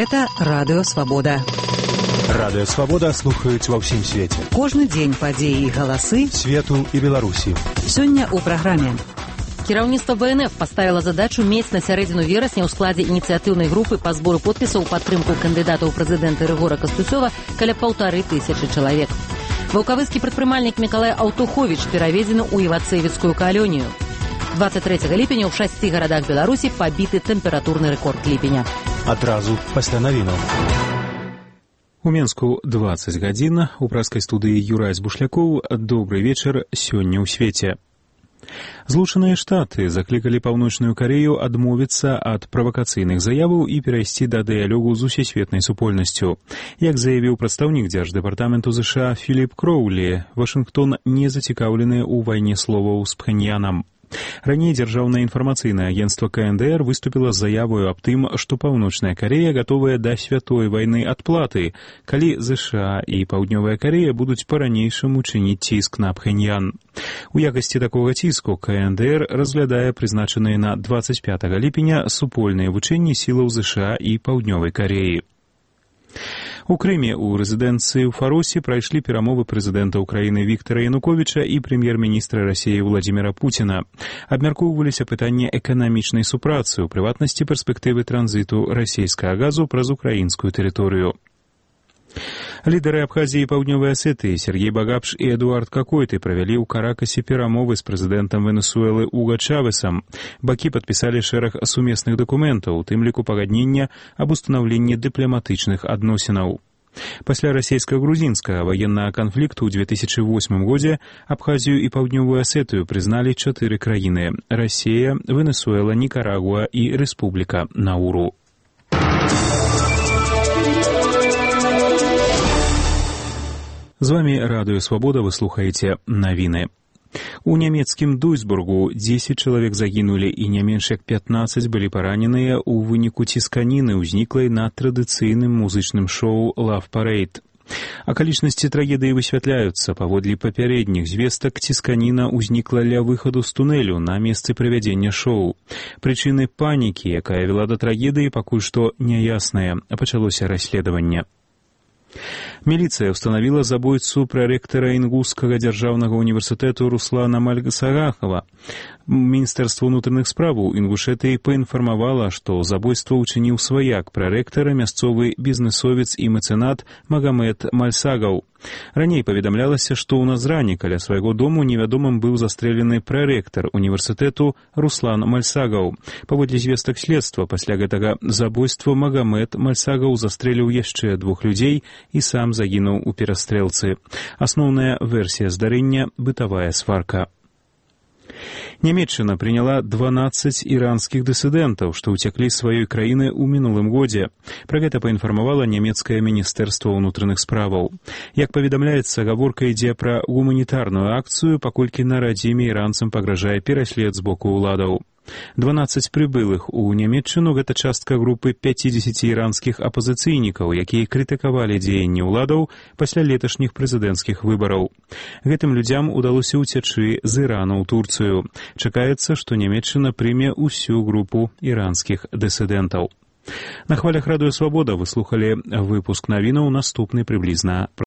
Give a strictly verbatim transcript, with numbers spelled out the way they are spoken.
Гэта Радыё Свабода. Радыё Свабода слухаюць ва ўсім свеце. Кожны дзень падзеі і галасы свету і Беларусі. Сёння ў праграме. Кіраўніцтва вэ эн эф паставіла задачу мець на сярэдзіну верасня ў складзе ініцыятыўнай групы па збору подпісаў у падтрымку кандыдата ў прэзідэнты Рыгора Кастуцёва каля паўтары тысячы чалавек. Ваўкавыскі прадпрымальнік Мікалай Аўтуховіч пераведзены ў івацэвіцкую калонію. двадцать трэцяга ліпеня ў шасці гарадах Беларусі пабіты тэмпературны рэкорд ліпеня. Адразу пасля навінаў. У Менску двадцать гадзін, у праскай студыі Юрай Збушлякоў. Добры вечар сёння ў свеце. Злучаныя Штаты заклікалі Паўночную Карею адмовіцца ад правакацыйных заяваў і перайсці да дыялогу з усесветнай супольнасцю. Як заявіў прадстаўнік дзярждэпартаменту ЗША Філіп Кроўлі, Вашынгтон не зацікаўлены ў вайне словаў з Пхеньянам. Раней дзяржаўнае інфармацыйнае агенцтва ка эн дэ эр выступіла з заявою аб тым, што Паўночная Карея гатовая да святой вайны адплаты, калі ЗША і Паўднёвая Карея будуць па-ранейшаму чыніць ціск на Пхеньян. У якасці такога ціску ка эн дэ эр разглядае прызначаныя на двадцать пятага ліпеня супольныя вучэнні сілаў ЗША і Паўднёвай Кареі. У Крыме ў рэзідэнцыі ў Фаросе прайшлі перамовы прэзідэнта ўкраіны Віктара Януковіча і прэм'ер-міністра Расіі Владзіміра Пуціна. Абмяркоўваліся пытанні эканамічнай супрацы, у прыватнасці перспектывы транзіту расійскага газу праз украінскую тэрыторыю. Лідары Абхазіі і Паўднёвай Асетыі Сергей Багапш і Эдуард Какойты правялі ў Каракасе перамовы з прэзідэнтам Венесуэлы Уга Чавесам. Бакі падпісалі шэраг сумесных дакументаў, у тым ліку пагаднення аб устанаўленні дыпламатычных адносінаў. Пасля расійска-грузінскага ваеннага канфлікту ў две тысячы восьмым годзе Абхазію і Паўднёвую Асетыю прызналі чатыры краіны – Расія, Венесуэла, Нікарагуа і Рэспубліка Науру. З вамі Радыё Свабода, вы слухаеце навіны. У нямецкім Дуйсбургу дзесяць чалавек загінулі і не менш як пятнаццаць былі параненыя ў выніку цісканіны, ўзніклай на традыцыйным музычным шоу «Love Parade». Акалічнасці трагедыі высвятляюцца. Паводле папярэдніх звестак, цісканіна ўзнікла ля выхаду з тунэлю на месцы правядзення шоу. Прычыны панікі, якая вела да трагедыі, пакуль што няясныя. Пачалося расследаванне. Міліцыя ўстанавіла забойцу прарэктара Інгушскага дзяржаўнага універсітэту Руслана Мальгасагахова. Міністэрства ўнутраных справаў Інгушэтыі паінфармавала, што забойства ўчыніў сваяк прарэктара, мясцовы бізнесовец і мэцэнат Магамед Мальсагаў. Раней паведамлялася, што ў Назране каля свайго дому невядомым быў застрэлены прарэктар універсітэту Руслан Мальсагаў. Паводле звестак следства, пасля гэтага забойства Магамед Мальсагаў застрэліў яшчэ двух людзей і сам загінуў у перастрэлцы. Асноўная версія здарэння – бытавая сварка. Нямецчына прыняла дванаццаць іранскіх дысідэнтаў, што ўцяклі з сваёй краіны ў мінулым годзе. Пра гэта паінфармавала нямецкае міністэрства ўнутраных справаў. Як паведамляецца, гаворка ідзе пра гуманітарную акцыю, паколькі на радзіме іранцам пагражае пераслед з боку ўладаў. дванаццаць прыбылых у Нямецчыну – гэта частка групы пяцідзесяці іранскіх апазіцыйнікаў, якія крытыкавалі дзеянні ўладаў пасля леташніх прэзідэнцкіх выбараў. Гэтым людзям удалося ўцячы з Ірану ў Турцыю. Чакаецца, што Нямецчына прыме ўсю групу іранскіх дысідэнтаў. На хвалях Радыё Свабода вы слухалі выпуск навінаў, наступны прыблізна